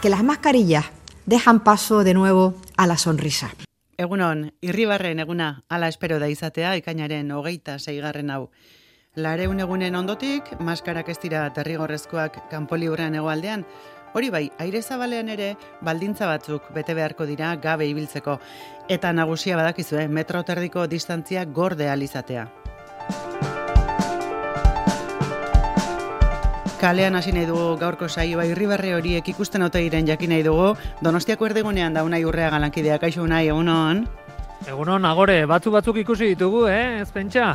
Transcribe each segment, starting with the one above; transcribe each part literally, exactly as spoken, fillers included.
Que las mascarillas dejan paso de nuevo a la sonrisa. Egunon, Irribarren eguna ala espero da izatea ekainaren hogeita seigarren hau. Lareun egunen ondotik, maskarak ez dira derrigorrezkoak kanpo liburrean hegoaldean, hori bai, aire zabalean ere baldintza batzuk bete beharko dira gabe ibiltzeko. Eta nagusia badakizue, metro terdiko distantzia gorde ahal izatea. Kalean hasi nahi dugu gaurko saioa Irribarre horiek ikusten ote diren jakin nahi dugu. Donostiako erdigunean da Unai Urrea galankideak, kaixo Unai, egunon. Egunon, agore, batzuk batzuk ikusi ditugu, eh, ez pentsa.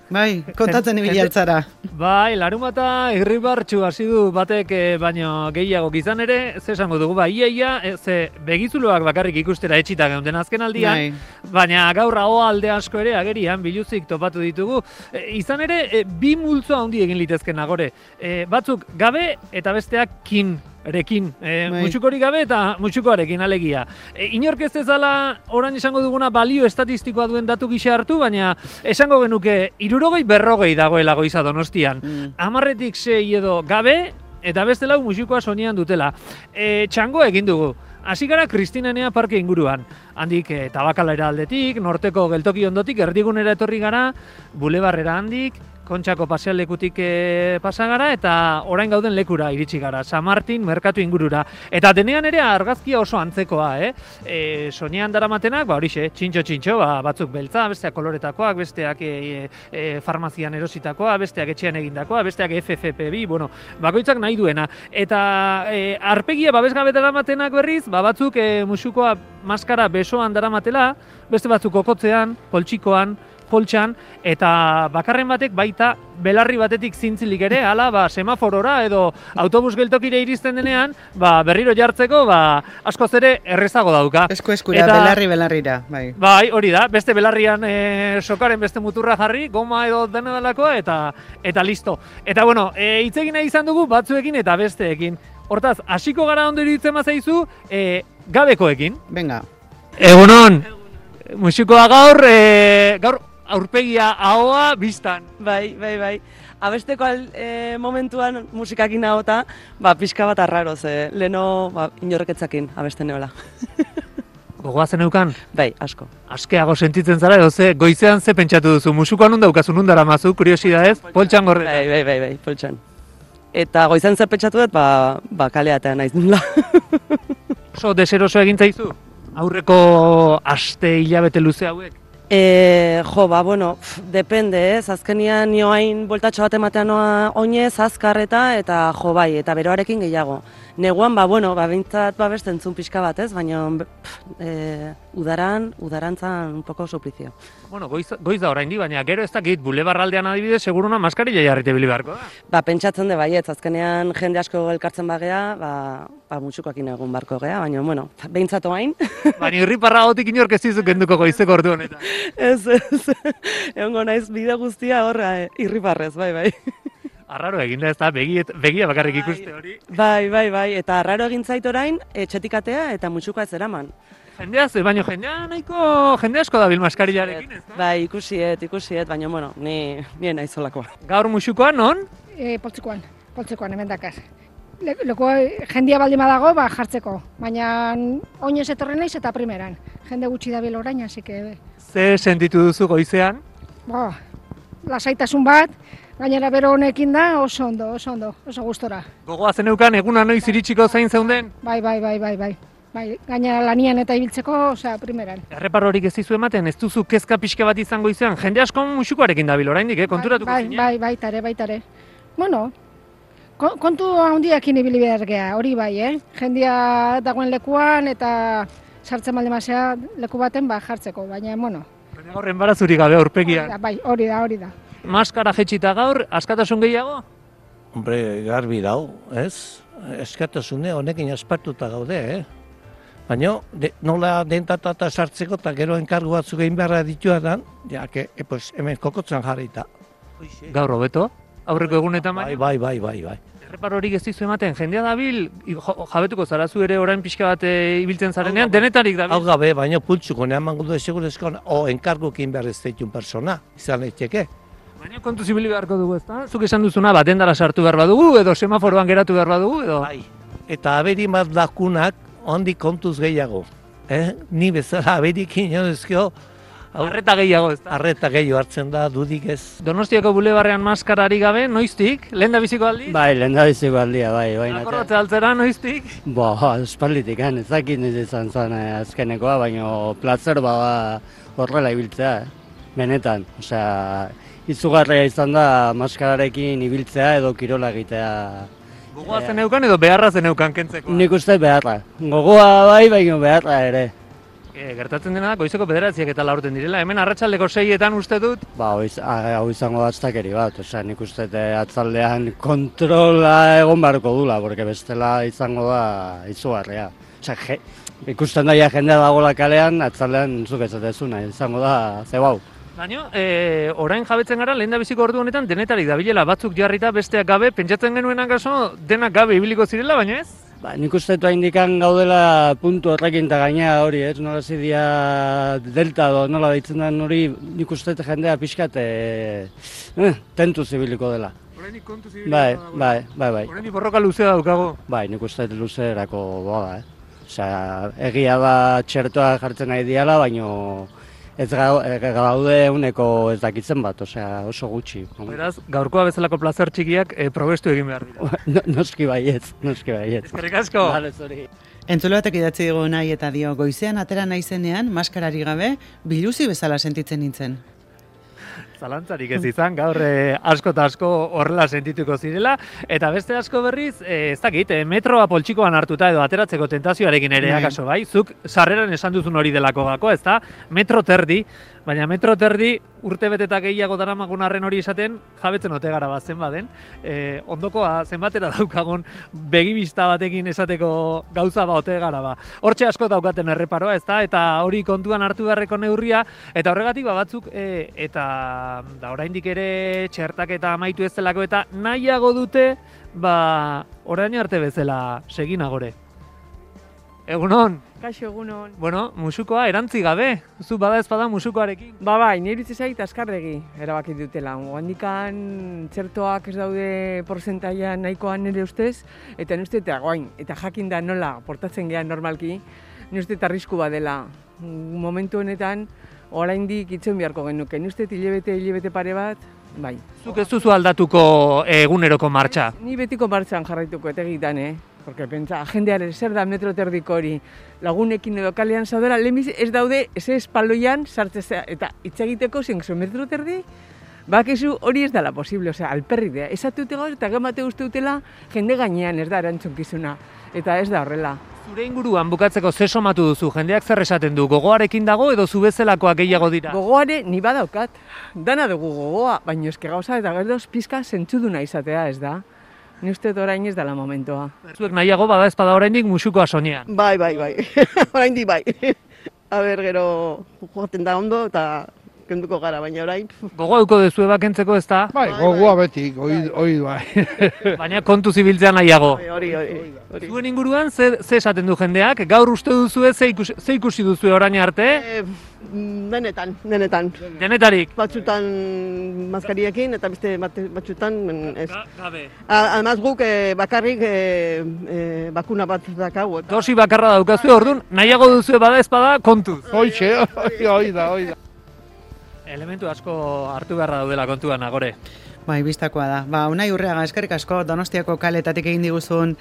Bai, kontatzen ibili altzara. Bai, larumata irribartxu hasi du batek eh, baino gehiago gizan ere, ze esango dugu, bai, iaia, eh, ze begizuloak bakarrik ikustera etxita geunten azken aldian, bai. Baina gaur hau alde asko ere agerian biluzik topatu ditugu. E, izan ere, e, bi multzo handi egin litezken agore. E, batzuk gabe eta besteak kin. Erekin, e, mutxukori gabe eta mutxukoarekin alegia. E, inork ez ezala orain esango duguna balio estatistikoa duen datu gisa hartu, baina esango genuke hirurogei berrogei dagoela Goiza Donostian. Mm. Hamarretik sei edo gabe eta beste lau mutxukoa soinean dutela. E, txangoa egin dugu. Hasi gara Kristinenea parke inguruan. Handik e, Tabakalera aldetik, norteko geltoki ondotik, erdigunera etorri gara, bulebarrera handik, Kontxako pasealekutik e, pasa gara eta orain gauden lekura iritsi gara, San Martin merkatu ingurura. Eta denean ere argazkia oso antzekoa, eh? E, soinean daramatenak, ba horixe, txintxo-txintxo, ba, batzuk beltza, besteak koloretakoak, besteak e, e, farmazian erositakoa, besteak etxean egindakoa, besteak F F P bi, bueno, bakoitzak nahi duena. Eta e, arpegia babesgabe daramatenak berriz, ba, batzuk e, musukoa maskara besoan daramatela, beste batzuk kokotzean, poltsikoan, poltsan, eta bakarren batek baita belarri batetik zintzilik ere, hala, ba, semaforora edo autobus geltokire iristen denean, ba, berriro jartzeko, ba, askoz ere errezago dauka. Esko eskura, eta, belarri belarrira, bai. Bai, hori da, beste belarrian e, sokaren beste muturra jarri, goma edo dena delakoa, eta, eta listo. Eta, bueno, e, hitz egin nahi izan dugu batzuekin eta besteekin. Hortaz, hasiko gara ondo iruditzen bazaizu, e, gabekoekin. Venga. Egunon, musikoa gaur, e, gaur, aurpegia ahoa biztan. Bai, bai, bai. Abesteko al, e, momentuan musikakin ahota, ba, pixka bat arraro, ze leno ba, inorreketzakin abesten neola. Gogoa zen eukan? Bai, asko. Askeago sentitzen zara, edo ze, goizean ze pentsatu duzu, musukoan nun daukazu, nun dara mazu, kuriosidadez, poltsan gorretan. Bai, bai, bai, bai, poltsan. Eta goizean zer pentsatu dut, ba, ba kaleatean naiz nula. Oso deseroso egin zaizu? Aurreko aste hilabete luze hauek? E, jo, ba, bueno, pf, depende, ez, azkenian nioain boltatxo bat ematean noa oinez, azkarreta, eta jo, bai, eta beroarekin gehiago. Neguan, ba, bueno, ba, bintzat, ba, beste entzun pixka bat, ez, baina pf, e, udaran, udarantzan un poco suplizio. Bueno, goiz, goiz da orain di, baina gero ez dakit, bulebarraldean adibidez, seguruna maskarilla jarrite bili beharko da. Ba, pentsatzen de baietz, azkenean jende asko elkartzen bagea, ba, ba, mutxukoakin egun barko gea, baina, bueno, behintzatu hain. Baina irriparra gotik inork ez dizuk kenduko goizeko ordu honetan. Ez, ez, egongo naiz bide guztia horra eh, irriparrez, bai, bai. Arraro egin da ez da, begi, begia bakarrik ikuste hori. Bai, bai, bai, eta arraro egin zait orain, etxetikatea eta mutxukoa ez eraman. Jendea ze, baina jendea nahiko, jende asko dabil maskarillarekin, ez da? Bai, ikusiet, ikusiet, baina, bueno, ni, ni naizolakoa. Gaur musukoan, non? E, poltsikoan, poltsikoan, hemen dakar. Le, leko jendia baldin badago, ba, jartzeko, baina oinez etorri naiz eta primeran. Jende gutxi dabil orain, hasi que... Ze sentitu duzu goizean? Ba, lasaitasun bat, gainera bero honekin da, oso ondo, oso ondo, oso gustora. Gogoa zeneukan, eguna noiz iritsiko zain zeunden? Bai, bai, bai, bai, bai. Bai, gainera lanian eta ibiltzeko, osea, primeran. Erreparorik ez dizu ematen, ez duzu kezka pixka bat izango izan, jende asko musukoarekin dabil oraindik, eh? Konturatuko bai, zinen? Bai, bai, baitare, baitare. Bueno, kontu handiakin ibili behar geha, hori bai, eh? Jendia dagoen lekuan eta sartzen balde mazea leku baten ba jartzeko, baina, bueno. Baina gaur enbarazurik gabe aurpegian. Bai, hori da, hori da. Maskara jetxita gaur, askatasun gehiago? Hombre, garbi dau, ez? Eskatasune honekin aspartuta gaude, eh? Baina, de, nola dentatata sartzeko eta gero enkargu batzuk egin beharra dituadan, ja, que, e, pues, hemen kokotzan jarrita. Gaur hobeto? Aurreko egunetan bai? Bai, bai, bai, bai. Erreparorik ez dizu ematen, jendea dabil, jabetuko zarazu ere orain pixka bat e, ibiltzen zarenean, denetarik dabil? Hau gabe, baina pultsuko, nean mango du segurezko, o enkargukin behar ez deitun persona, izan leiteke. Baina kontu zibili beharko dugu, ezta? Zuk esan duzuna, bat dendara sartu behar badugu, edo semaforoan geratu behar badugu, edo? Bai, eta aberi bat dakunak ondik kontuz gehiago. Eh? Ni bezala aberik inodezkio, arreta gehiago, ez da? Arreta gehiago hartzen da, dudik ez. Donostiako bulebarrean maskarari gabe, noiztik? Lehen da biziko aldi? Bai, lehen da biziko aldia, bai. bai Akordatze altzera, noiztik? Bo, espalditik, ez dakit niz izan zen eh, azkenekoa, baina plazer bada horrela ibiltzea, eh? Benetan. Osea, izugarria izan da maskararekin ibiltzea edo kirola egitea. Gogoa zeneukan edo beharra zeneukan kentzeko? Nik uste beharra. Gogoa bai, baina beharra ere. E, gertatzen dena goizeko bederatziak eta laurten direla. Hemen arratsaldeko seietan uste dut? Ba, hau izango da aztakeri bat. Osea, nik uste atzaldean kontrola egon barko dula, porque bestela izango da izugarria. Osea, je, ikusten daia jendea dagoela kalean, atzaldean zuk ezatezuna, izango da zebau. Baina, e, orain jabetzen gara, lehen da biziko ordu honetan denetarik dabilela batzuk jarrita besteak gabe, pentsatzen genuenak aso, denak gabe ibiliko zirela, baina ez? Ba, nik uste du indikan gaudela puntu horrekin eta gainea hori, ez? Nola zidia delta do, nola deitzen den hori, nik uste jendea pixkat e, eh, tentu zibiliko dela. Horrenik kontu zibiliko bai, da. Bai, bai, bai. Horrenik borroka luzea daukago. Bai, nik uste luzerako boda, eh? Osea, egia da txertoa jartzen nahi diala, baino ez gaude uneko ez dakitzen bat, osea, oso gutxi. Beraz, gaurkoa bezalako plazer txikiak e, probestu egin behar dira. No, noski baietz, noski baietz. Eskerrik asko! Vale, sorry. Entzule batek idatzi dugu nahi eta dio, goizean atera naizenean, maskarari gabe, biluzi bezala sentitzen nintzen. Zalantzarik ez izan, gaur eh, asko eta asko horrela sentituko zirela, eta beste asko berriz, eh, ez dakit, eh, metroa poltsikoan hartuta edo ateratzeko tentazioarekin ere akaso bai, zuk sarreran esan duzun hori delako gako, ez da, metro terdi, baina metro terdi urte beteta gehiago daramagun arren hori esaten, jabetzen ote gara bat zenbaden, eh, ondokoa zenbatera daukagun begibista batekin esateko gauza ba ote gara ba. Hortxe asko daukaten erreparoa, ez da, eta hori kontuan hartu beharreko neurria, eta horregatik ba batzuk, eh, eta da oraindik ere txertak eta amaitu ez zelako eta nahiago dute, ba, orain arte bezala segin agore. Egunon? Kaixo, egunon. Bueno, musukoa erantzi gabe, zu bada ez bada musukoarekin. Ba bai, nire iritzi zait azkarregi erabaki dutela. Handikan txertoak ez daude porcentaia nahikoan nire ustez, eta nire uste eta guain, eta jakin da nola portatzen gehan normalki, nire uste eta arrisku badela. Momentu honetan, oraindik itzen beharko genuke. Nire uste hilebete, hilebete pare bat, bai. Zuk ez duzu aldatuko eguneroko martxa? Ni betiko martxan jarraituko eta egitan, eh? Porque pentsa, jendearen zer da metro terdiko hori, lagunekin edo kalean zaudera, lehemiz ez daude, ez espaloian sartzea, eta hitz egiteko zen metro terdi, bakizu hori ez dela posible, osea, alperrik da. Esatute gaur eta gemate uste dutela jende gainean ez da erantzunkizuna, eta ez da horrela. Zure inguruan bukatzeko ze somatu duzu, jendeak zer esaten du, gogoarekin dago edo zu bezalakoak gehiago dira? Gogoare ni badaukat, dana dugu gogoa, baina eske gauza eta gerdoz pizka zentzuduna izatea ez da. Ni uste orain ez dela momentua. Zuek nahiago bada ez bada oraindik musukoa soinean. Bai, bai, bai. Oraindik bai. A ber, gero joaten da ondo eta kenduko gara, baina orain. Gogoa duko dezue bakentzeko ez da? Bai, gogoa beti, oi bai. Baina kontu zibiltzea nahiago. Hori, hori, hori. Zuen inguruan, ze, ze esaten du jendeak? Gaur uste duzue, ze ikusi, ze ikusi duzue orain arte? E, denetan, denetan. Denetarik? Batzutan maskariekin eta beste batzutan ez. Gabe. Además guk eh, bakarrik eh, eh, bakuna bat dakagu. Dosi bakarra daukazue, orduan, nahiago duzue bada ez bada kontuz. Hoixe, hoi da, hoi da. Elementu asko hartu beharra daudela kontuan, agore. Bai, bistakoa da. Ba, Unai Urreaga, eskerrik asko Donostiako kaletatik egin diguzun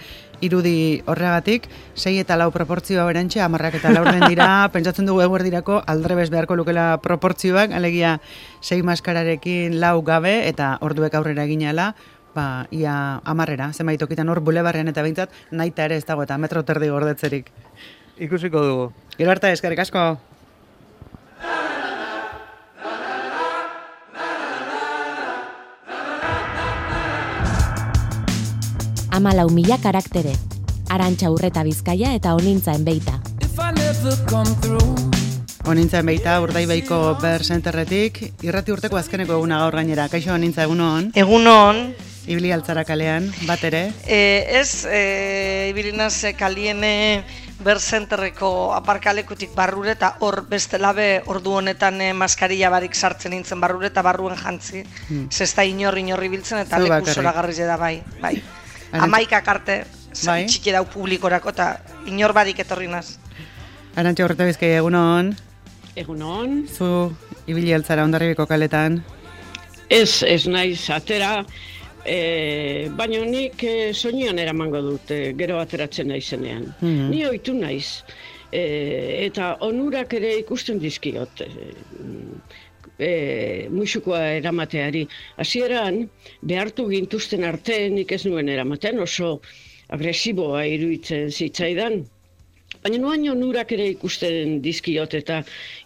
irudi horregatik, sei eta lau proportzioa berantxe, hamarrak eta laurden dira, pentsatzen dugu eguerdirako aldrebes beharko lukela proportzioak, alegia sei maskararekin lau gabe eta orduek aurrera eginala, ba, ia hamarrera, zenbait tokitan hor bulebarrean eta behintzat, naita ere ez dago eta metro terdi gordetzerik. Ikusiko dugu. Gero arte, eskerrik asko. Amalau mila karaktere. Arantxa Urreta Bizkaia eta Onintzaen Beita. Onintzaen Beita, Urdaibaiko Ber Centerretik, irrati urteko azkeneko eguna gaur gainera. Kaixo, Onintza, egunon? Egunon. Ibili altzara kalean, bat ere? E, ez, e, ibilinaz kaliene Ber Centerreko aparkalekutik barrure eta hor bestelabe ordu honetan e, maskarilla barik sartzen nintzen barrure eta barruen jantzi. Hmm. Zesta inor inorri biltzen eta leku zoragarri da bai. bai. Amaikak arte. bai. Txiki dau publikorako eta inor barik etorri naz. Arantxa Urreta Bizkaia, egunon. Egunon. Zu ibili altzara Hondarribiko kaletan. Ez, ez naiz atera, e, baina nik e, soinean eramango dut, e, gero ateratzen naizenean. Mm-hmm. Ni ohitu naiz, e, eta onurak ere ikusten dizkiot. E, e, musukoa eramateari. Hasieran behartu gintuzten arte nik ez nuen eramaten, oso agresiboa iruditzen zitzaidan. Baina nuain onurak ere ikusten dizkiot eta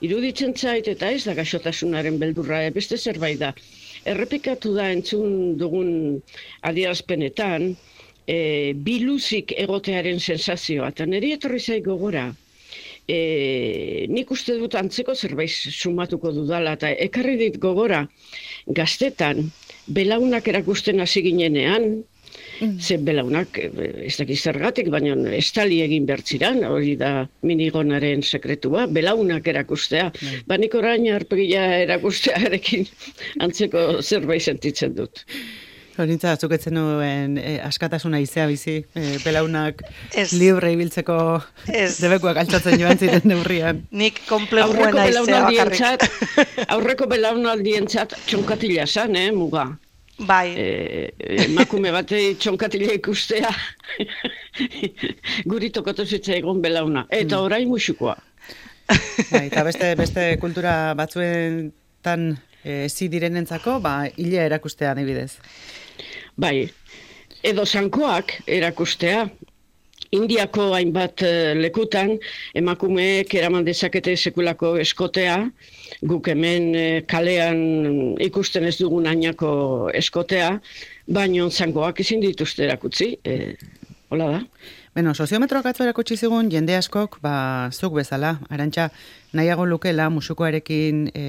iruditzen zait eta ez da gaixotasunaren beldurra, beste zerbait da. Errepikatu da entzun dugun adierazpenetan, e, biluzik egotearen sensazioa, eta niri etorri zait gogora. E, nik uste dut antzeko zerbait sumatuko dudala, eta ekarri dit gogora gaztetan, belaunak erakusten hasi ginenean, mm. ze belaunak, ez dakiz zergatik, baina estali egin bertziran, hori da minigonaren sekretua, belaunak erakustea. Mm. Ba nik orain arpegia erakustearekin antzeko zerbait sentitzen dut. Horintza, zuketzen nuen eh, askatasuna izea bizi, eh, belaunak libre ibiltzeko debekuak altxatzen joan ziren neurrian. Nik konpleguena izea bakarrik. Aurreko belaunaldientzat txonkatila zan, eh, muga. Bai. E, emakume batei txonkatila ikustea guri tokatu zitza egon belauna. Eta mm. orain musukoa. Bai, eta beste, beste kultura batzuetan e, zi direnentzako, ba, hilea erakustea adibidez. Bai, edo zankoak erakustea. Indiako hainbat lekutan emakumeek eraman dezakete sekulako eskotea, guk hemen kalean ikusten ez dugun ainako eskotea, baino zangoak ezin dituzte erakutsi, e, hola da. Beno, soziometroak atzo erakutsi zigun jende askok, ba, zuk bezala, Arantxa, nahiago lukela musukoarekin e,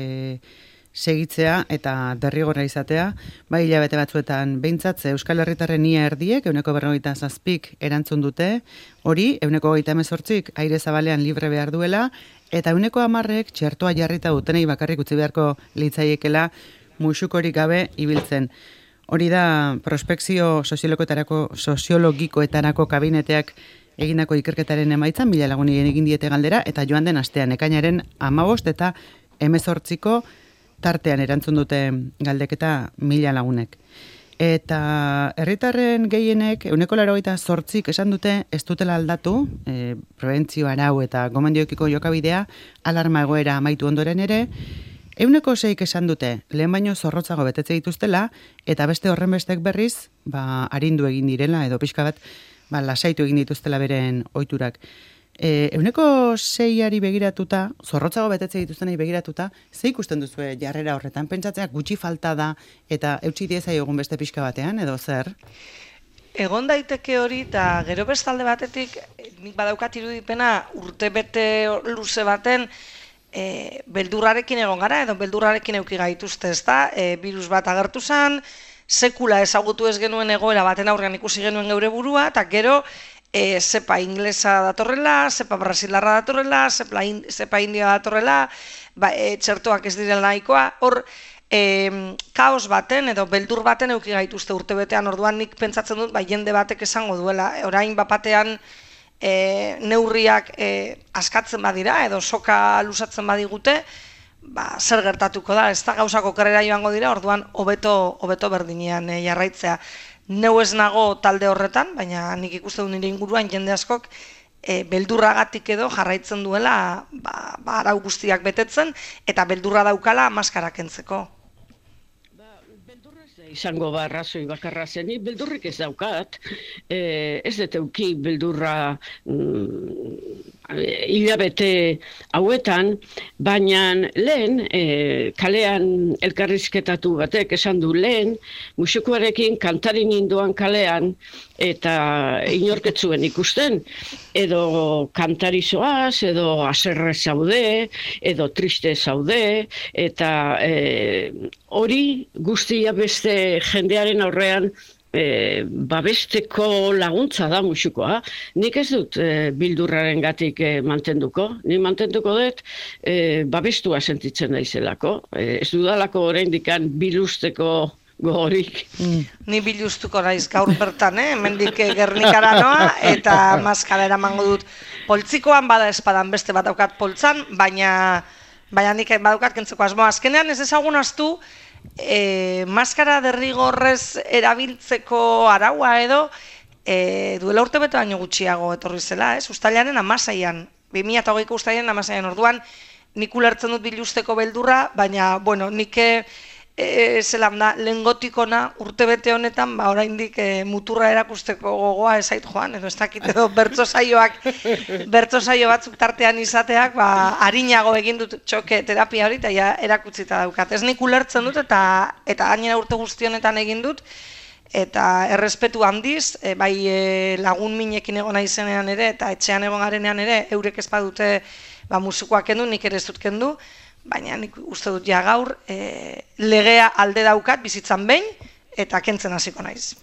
segitzea eta derrigorra izatea, bai hilabete batzuetan behintzat Euskal Herritarren ia erdiek, euneko berrogeita zazpik erantzun dute, hori, euneko hogeita hemezortzik aire zabalean libre behar duela, eta euneko hamarrek txertoa jarrita dutenei bakarrik utzi beharko litzaiekela musukorik gabe ibiltzen. Hori da prospekzio soziologikoetarako kabineteak egindako ikerketaren emaitza, mila lagunien egin diete galdera, eta joan den astean ekainaren hamabost eta hemezortziko tartean erantzun dute galdeketa mila lagunek. Eta herritarren gehienek, euneko laurogeita zortzik esan dute ez dutela aldatu, e, prebentzio arau eta gomendiokiko jokabidea, alarma egoera amaitu ondoren ere, euneko seik esan dute lehen baino zorrotzago betetze dituztela, eta beste horren bestek berriz, ba, arindu egin direla, edo pixka bat, ba, lasaitu egin dituztela beren ohiturak. E, euneko seiari begiratuta, zorrotzago betetze dituztenei begiratuta, ze ikusten duzue jarrera horretan, pentsatzea gutxi falta da eta eutsi diezai egun beste pixka batean, edo zer? Egon daiteke hori, eta gero bestalde batetik, nik badaukat irudipena urte bete luze baten, e, beldurrarekin egon gara, edo beldurrarekin euki gaituzte, ez da, e, virus bat agertu zen, sekula ezagutu ez genuen egoera baten aurrean ikusi genuen geure burua, eta gero, E, zepa inglesa datorrela, zepa brasilarra datorrela, zepa, in, zepa india datorrela, ba, e, txertoak ez direla nahikoa, hor e, kaos baten edo beldur baten euki gaituzte urtebetean, orduan nik pentsatzen dut, ba, jende batek esango duela, orain bapatean e, neurriak e, askatzen badira edo soka lusatzen badigute, ba, zer gertatuko da, ez da gauzako karrera joango dira, orduan hobeto hobeto berdinean e, jarraitzea. Neu ez nago talde horretan, baina nik ikuste du nire inguruan jende askok e, beldurragatik edo jarraitzen duela ba, ba, arau guztiak betetzen eta beldurra daukala maskara kentzeko. Izango ba arrazoi bakarra zenik, beldurrik ez daukat, e, ez dut euki beldurra mm, hilabete hauetan, baina lehen e, kalean elkarrizketatu batek esan du lehen, musukoarekin kantari ninduan kalean eta inorketzuen ikusten, edo kantari zoaz, edo aserre zaude, edo triste zaude, eta e, hori guztia beste jendearen aurrean e, babesteko laguntza da musukoa. Nik ez dut e, bildurraren gatik e, mantenduko. Ni mantenduko dut e, babestua sentitzen naizelako. E, ez dudalako oraindikan bilusteko gogorik. Mm. Ni biluztuko naiz gaur bertan, eh? Hemendik Gernikara noa, eta maskara eramango dut. Poltzikoan bada espadan beste bat daukat poltzan, baina, baina nik badaukat kentzeko asmoa. Azkenean ez ezagun astu, e, maskara derrigorrez erabiltzeko araua edo, e, duela urte bete baino gutxiago etorri zela, ez? Uztailaren amaseian, bi mila hogeiko uztailaren amaseian orduan, nik ulertzen dut biluzteko beldurra, baina, bueno, nik e, zelan da, lengotikona urte bete honetan, ba, oraindik e, muturra erakusteko gogoa ezait joan, edo ez dakit edo bertso saioak, bertso saio batzuk tartean izateak, ba, harinago egin dut txoke terapia hori, eta ja erakutzita daukat. Ez nik ulertzen dut, eta eta gainera urte guzti honetan egin dut, eta errespetu handiz, e, bai e, lagun minekin egon naizenean ere, eta etxean egon garenean ere, eurek ez badute ba, musikoak kendu, nik ere ez dut kendu, baina nik uste dut ja gaur e, legea alde daukat bizitzan behin eta kentzen hasiko naiz.